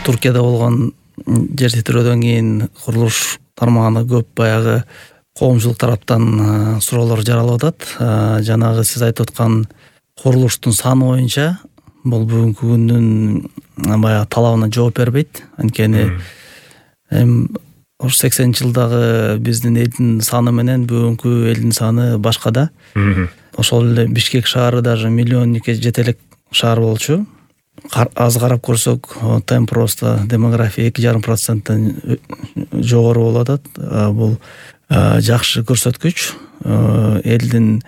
Туркияда болгон жер титирөөдөн кийин курулуш тармагына көп баягы коомчулук тараптан суроолор жаралып атат. Жанагы сиз айтып аткан курулуштун саны боюнча бул бүгүнкү күндүн баягы талабына жооп бербейт. Анткени ош 80-жылдагы биздин элдин саны менен бүгүнкү элдин саны башка да. Ошол эле Бишкек шаары даже миллионникке жете элек шаар болчу. Аз карап көрсөк, темп роста демография 2,5%-тен жогору болуп атат. Бул жакшы көрсөткүч. Элдин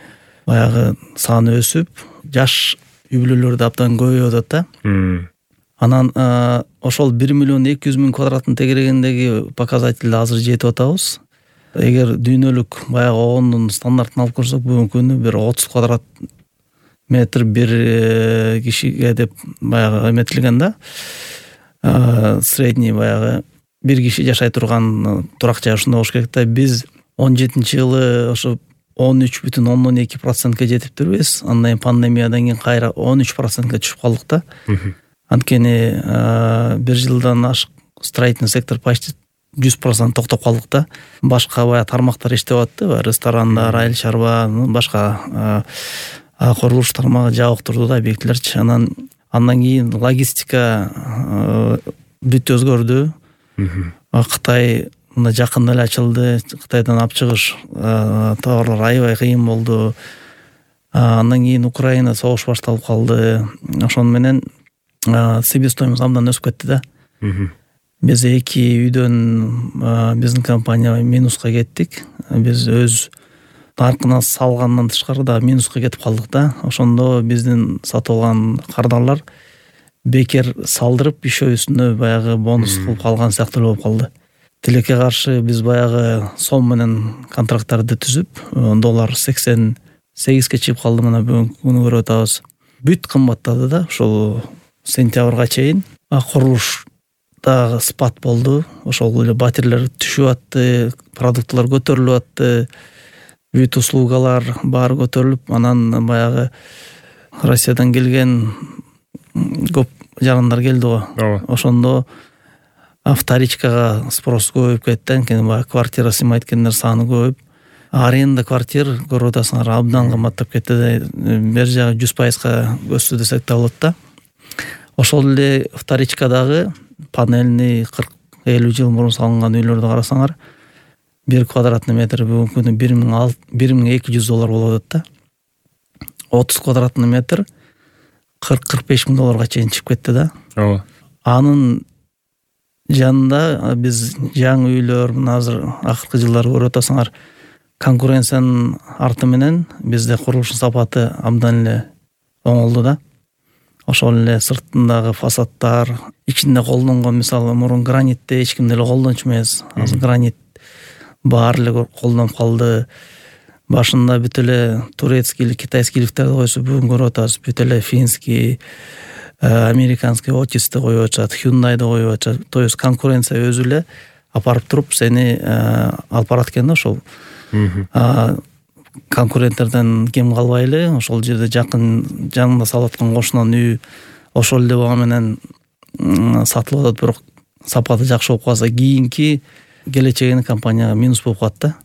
баягы саны өсүп, жаш үй бүлөлөр да абдан көбөйүп атат да. Анан ошол 1,2 миллион квадраттын тегерегиндеги показатель азыр жетип атабыз. Эгер дүйнөлүк баягы огондун стандартын алып көрсөк, бүгүнкү күнү бир 30 квадрат метр бир кишиге деп баягы эметилген да. Средний баягы бир киши жашай турган турак жай ушундай болуш керек да. Биз 17-жылы ошо 13,2%га жетиптирбиз. Андан кийин пандемиядан кийин кайра 13%га түшүп калдык да. Анткени бир жылдан ашык строительный сектор почти 100% токтоп калдык да. Башка баягы тармактар иштеп атты, ресторандар, айыл чарба, башка курулуш тармагы жабык турду да, объектилерчи. Андан кийин логистика бүт өзгөрдү. Кытай мына жакында эле ачылды. Кытайдан алып чыгыш товарлар аябай кыйын болду. Андан кийин Украина согуш башталып калды. Ошону менен себестоимость абдан өсүп кетти да. Биз 2 үйдөн биздин компания минуска кеттик. Биз өз наркына салгандан тышкары да минуска кетип калдык да. Ошондо биздин сатып алган кардарлар бекер салдырып ишөө үстүнө баягы бонус кылып калган сыяктуу болуп калды. Тилекке каршы биз баягы сом менен контракттарды түзүп, доллар 88ге чыгып калды. Мына бүгүнкү күнү көрүп атабыз. Бүт кымбаттады да. Ошол сентябрга чейин курулушта спад болду. Ошол эле батирелер түшүп атты, продуктлар көтөрүлүп атты. Бүт услугалар баары көтөрүлүп, анан баягы Россиядан келген көп жарандар келди го. Ошондо вторичкага спрос көбөйүп кетти. Анткени баягы квартира сыймайт экендер саны көбөйүп, аренда квартир көрүп атасыңар абдан кымбаттап кетти. Бер жагы 100%га өстү десек да болот да. Ошол эле вторичкадагы панельный 40-50 жыл мурун салынган үйлөрдү карасаңар, 1 квадратный метр бүгүнкү күнү $1200 болуп атат да. 30 квадратный метр $40-45 миң чейин чыгып кетти да. Анын жанында биз жаңы үйлөр, мына азыр акыркы жылдары көрүп атасыңар, конкуренциянын арты менен бизде курулуштун сапаты абдан эле оңолду да. Ошол эле сыртындагы фасадтар, ичинде колдонгон, мисалы мурун гранитти эч ким деле колдончу эмес. Азыр гранит баары эле колдонуп калды. Башында бүт эле турецкий, китайскийликтерди койсо, бүгүн көрүп атабыз, бүт эле финский, американский Otis'ти коюп атышат, Hyundai'ди коюп атышат. То есть конкуренция өзү эле апарып туруп сени алып барат экен да. Ошол конкуренттерден кем калбайлы, ошол жерде жакын жанында салып аткан кошунан үй ошол эле бага менен сатылып атат. Бирок сапаты жакшы болуп калса, кийинки келечегине компанияга минус болуп калат да.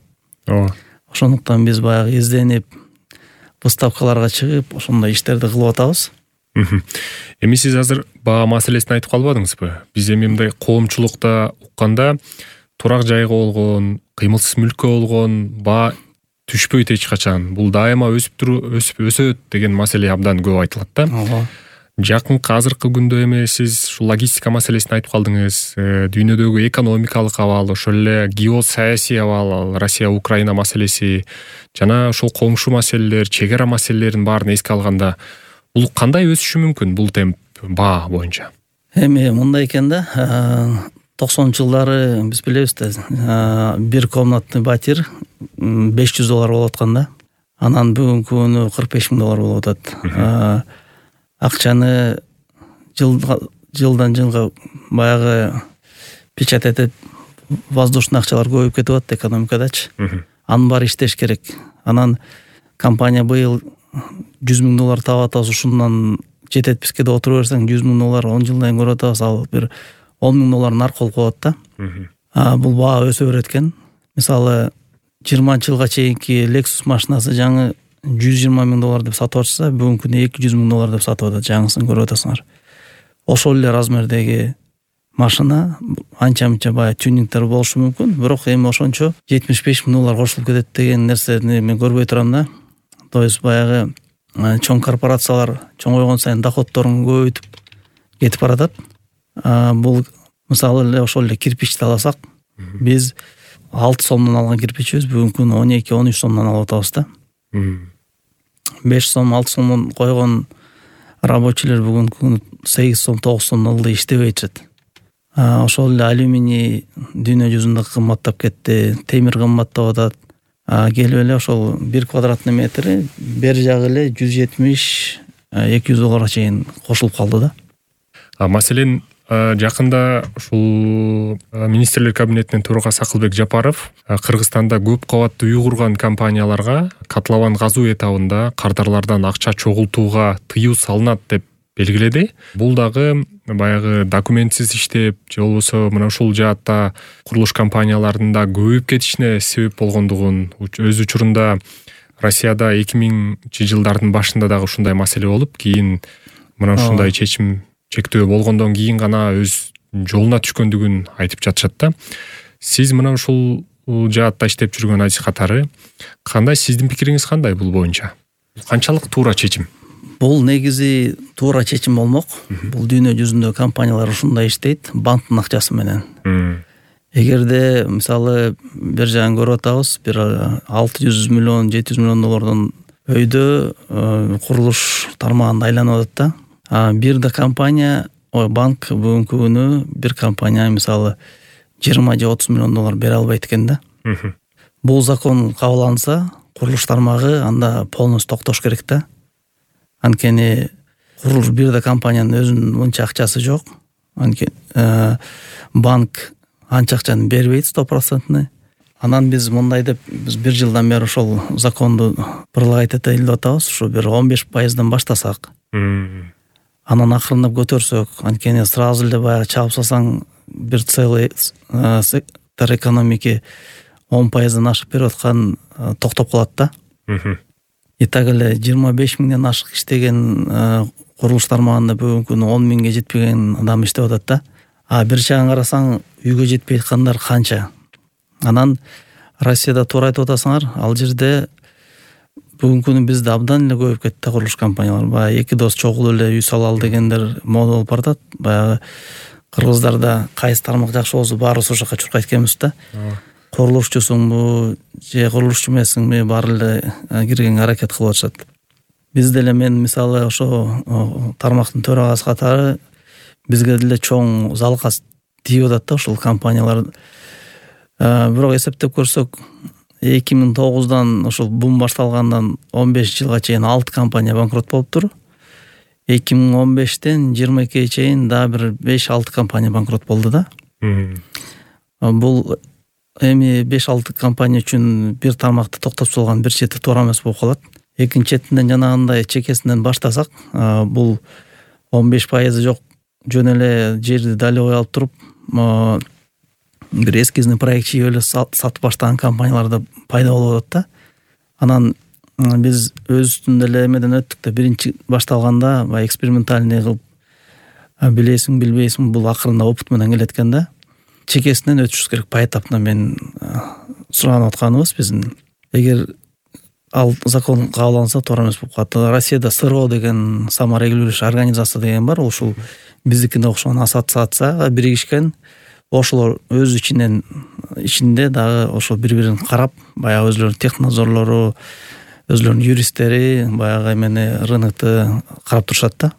Ошондуктан биз баягы изденип, выставкаларга чыгып, ошондой иштерди кылып атабыз. Эми сиз азыр баа маселесин айтып калбадыңызбы? Биз эми мындай коомчулукта укканда турак жайга болгон, кыймылсыз мүлккө болгон баа түшпөйт эч качан. Бул дайыма өсөт деген маселе абдан көп айтылат да. Жакынкы азыркы күндө эми сиз ушул логистика маселесин айтып калдыңыз. Дүйнөдөгү экономикалык абал, ошол эле геосаясий абал, Россия Украина маселеси жана ошол коңшу маселелер, чек ара маселелерин баарын эске алганда, бул кандай өсүшү мүмкүн бул темп баа боюнча? Эми мындай экен да. 90-жылдары биз билебиз да, бир комнатный батир $500 болуп аткан да. Анан бүгүнкү күнү $45 миң болуп атат. Акчаны жылдан жылга баягы печать этип, воздушный акчалар көбөйүп кетип атат экономикадачы. Анын баары иштеш керек. Анан компания быйыл $100 миң таап атабыз, ушундан жететписке да отура берсең $100 миң $10 жылдан көрүп атабыз. Ал бир $10,000 наркы болуп калат да. Бул баа өсө берет экен. Мисалы 20-жылга чейинки Lexus машинасы жаңы $120,000 деп сатып атышса, бүгүнкү күндө $200,000 деп сатып атат, жаңысын көрүп атасыңар. Ошол эле размердеги машина анча-мынча баягы тюнингдер болушу мүмкүн, бирок эми ошончо $75,000 кошулуп кетет деген нерсени мен көрбөй турам да. То есть баягы чоң корпорациялар чоңойгон сайын доходдорун көбөйтүп кетип баратат. Бул мисалы эле ошол эле кирпичти алсак, биз $6 алган кирпичибиз бүгүнкү күндө $12-13 алып атабыз да. $5, $6 койгон рабочийлер бүгүнкү күндө $8, $9 ылдый иштебей жатат. Ошол эле алюминий дүйнө жүзүндө кымбаттап кетти, темир кымбаттап атат. Келип эле ошол 1 квадратный метри бери жагы эле $170-200 чейин кошулуп калды да. Маселен, жакында ушул министрлер кабинетинин төрагасы Акылбек Жапаров Кыргызстанда көп кабаттуу үй курган компанияларга катлабан газуу этабында кардарлардан акча чогултууга тыюу салынат деп белгиледи. Бул дагы баягы документсиз иштеп, же болбосо мына ушул жаатта курулуш компанияларында көбөйүп кетишине себеп болгондугун, өз учурунда Россияда 2000-жылдардын башында дагы ушундай маселе болуп, кийин мына ушундай чектөө болгондон кийин гана өз жолуна түшкөндүгүн айтып жатышат да. Сиз мына ушул жаатта иштеп жүргөн адис катары кандай, сиздин пикириңиз кандай бул боюнча? Канчалык туура чечим? Бул негизи туура чечим болмок. Бул дүйнө жүзүндө компаниялар ушундай иштейт, банктын акчасы менен. Эгерде мисалы бир жагын көрүп атабыз, бир $600 миллион, $700 миллион өйдө курулуш тармагында айланып атат да. Бир да компания, банк бүгүнкү күнү бир компания мисалы $20 же $30 миллион бере албайт экен да. Бул закон кабылданса, курулуш тармагы анда полностью токтош керек да. Анткени курулуш бир да компаниянын өзүнүн мынча акчасы жок. Банк анча акчаны бербейт 100%. Анан биз мындай деп, биз 1 жылдан бери ошол законду бырлайт этелип атабыз, ушу бир 15%дан баштасак. Анан акырындап көтөрсөк, анткени сразу эле баягы чабып салсаң бир целый сектор экономики 10%дан ашык берип аткан токтоп калат да. И так эле 25 миңден ашык иштеген курулуш тармагында бүгүнкү күнү 10 миңге жетпеген адам иштеп атат да. Бир жагын карасаң, үйгө жетпей аткандар канча. Анан Россияда туура айтып атасыңар, ал жерде бүгүнкү күнү бизде абдан эле көбөйүп кетти курулуш компаниялар. Баягы эки дос чогулуп эле үй салалы дегендер мода болуп баратат. Баягы кыргыздарда кайсы тармак жакшы болсо баары ошол жака чуркайт экенбиз да. Курулушчусуңбу же курулушчу эмессиңби, баары эле киргенге аракет кылып атышат. Бизде эле мен мисалы ошо тармактын төрагасы катары бизге деле чоң залкас тийип атат да ушул компаниялар. Бирок эсептеп көрсөк, 2009-дан ошол бум башталгандан 15 жылга чейин 6 компания банкрот болуптур. 2015-тен 22-ге чейин да бир 5-6 компания банкрот болду да. Бул эми 5-6 компания үчүн бир тармакты токтоп салган бир чети туура эмес болуп калат. Экинчи четинден жанагындай чекесинен баштасак, бул 15% жок, жөн эле жерди далевой алып туруп, бир эскизный проект чийип эле сатып баштаган компаниялар да пайда болуп атат да. Анан биз өзүбүздүн эле эмеден өттүк да, биринчи башталганда баягы экспериментальный кылып, билесиң билбейсиң, бул акырында опыт менен келет экен да. Чекесинен өтүшүбүз керек поэтапно, мен суранып атканыбыз биздин. Эгер ал закон кабылданса туура эмес болуп калат. Россияда СРО деген саморегулирующий организация деген бар, ушул биздикине окшогон ассоциацияга биригишкен. Ошолор өз ичинде дагы ошо бири-бирин карап, баягы өзлөрүнүн технадзорлору, өзлөрүнүн юристтери баягы эмени рынокту карап турушат да.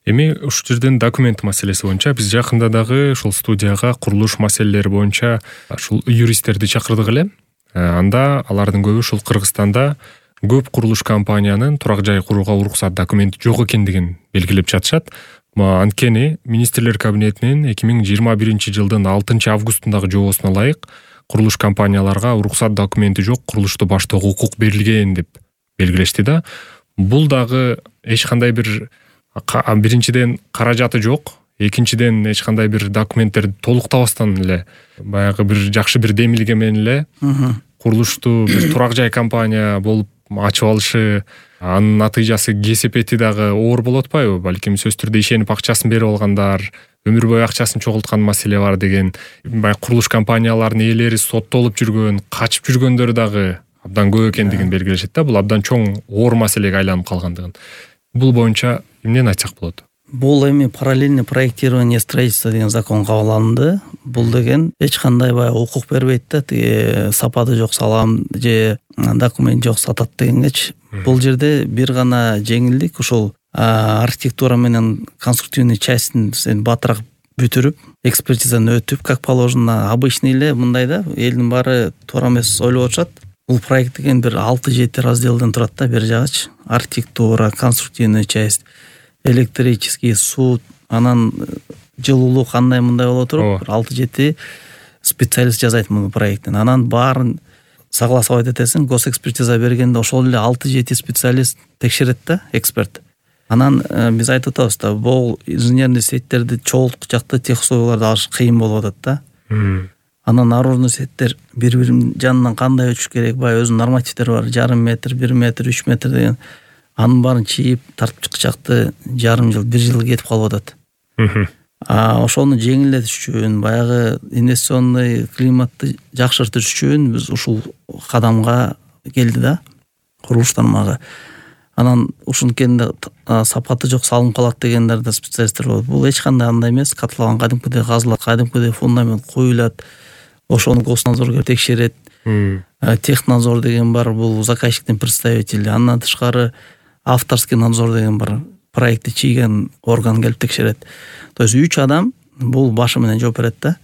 Эми ушул жерден документ маселеси боюнча биз жакында дагы ушул студияга курулуш маселелери боюнча ушул юристтерди чакырдык эле. Анда алардын көбү ушул Кыргызстанда көп курулуш компаниянын турак жай курууга уруксат документи жок экендигин белгилеп жатышат. Анткени министрлер кабинетинин 2021-жылдын 6-августундагы жобосуна ылайык курулуш компанияларга уруксат документи жок курулушту баштоого укук берилген деп белгилешти да. Бул дагы эч кандай бир биринчиден каражаты жок, экинчиден эч кандай бир документтерди толуктабастан эле баягы бир жакшы бир демилге менен эле курулушту бир турак жай компания болуп ачып алышы, анын натыйжасы кесепети дагы оор болуп атпайбы? Балким сөзсүз түрдө ишенип акчасын берип алгандар, өмүр бою акчасын чогулткан маселе бар деген. Баягы курулуш компанияларынын ээлери соттолуп жүргөн, качып жүргөндөр дагы абдан көп экендигин белгилешет да. Бул абдан чоң оор маселеге айланып калгандыгын. Бул боюнча эмнени айтсак болот? Бул эми параллельный проектирование строительства деген закон кабыл алынды. Бул деген эч кандай баягы укук бербейт да, тиги сапаты жок салам же документ жок сатат дегенгечи. Бул жерде бир гана жеңилдик, ушул архитектура менен конструктивный частин сен батыраак бүтүрүп, экспертизаны өтүп, как положено. Обычный эле мындай да, элдин баары туура эмес ойлоп атышат. Бул проект деген бир 6-7 разделден турат да, бир жагычы. Архитектура, конструктивный часть, электрический, суу, анан жылуулук кандай мындай боло туруп, 6-7 специалист жасайт муну проекттин. Анан баарын согласовать этесиң, госэкспертиза бергенде ошол эле 6-7 специалист текшерет да, эксперт. Анан биз айтып атабыз да, бул инженерный сеттерди чогулткуч жакта тех условияларды алыш кыйын болуп атат да. Анан наружный сеттер бири-биринин жанынан кандай өтүш керек, баягы өзүнүн нормативдери бар, 0,5 метр, 1 метр, 3 метр деген. Анын баарын чийип, тартып чыкчакты 1,5 жыл, 1 жыл кетип калып атат. Ошону жеңилдетиш үчүн, баягы инвестиционный климатты жакшыртыш үчүн биз ушул кадамга келди да, курулуш тармагы. Анан ушунткенде сапаты жок салынып калат дегендер да специалисттер болот. Бул эч кандай андай эмес, катлаган кадимкидей казылат, кадимкидей фундамент коюлат. Ошону госнадзорго текшерет. Технадзор деген бар, бул заказчиктин представители. Андан тышкары авторский надзор деген бар, проектти чийген орган келип текшерет. То есть 3 адам бул башы менен жооп берет да.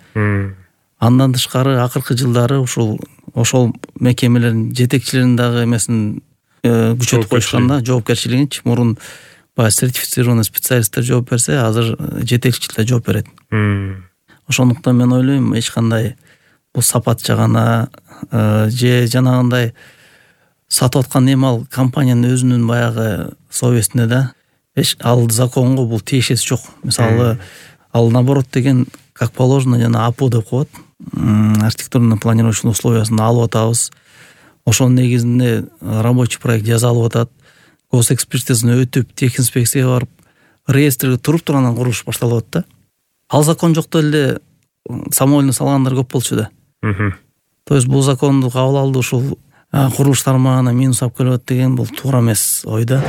Андан тышкары акыркы жылдары ошол мекемелердин жетекчилеринин дагы эмесин күчөтүп коюшкан да, жоопкерчилигинчи. Мурун баягы сертифицированный специалисттер жооп берсе, азыр жетекчилер жооп берет. Ошондуктан мен ойлойм, эч кандай бул сапат жагана же жанагындай сатып аткан ал компаниянын өзүнүн баягы совестине да, ал законго бул тиешеси жок. Мисалы, ал наоборот деген, как положено, жана АПУ деп коет, архитектурно-планировочный условиясын алып атабыз. Ошонун негизинде рабочий проект жасалып атат. Госэкспертизаны өтүп, техинспекцияга барып, реестрге туруп тургандан курулуш башталып атат да. Ал закон жокто эле самойлно салгандар көп болчу да. То есть бул законду кабыл алды, ушул курулуш тармагына минус алып келип атат деген бул туура эмес ой да.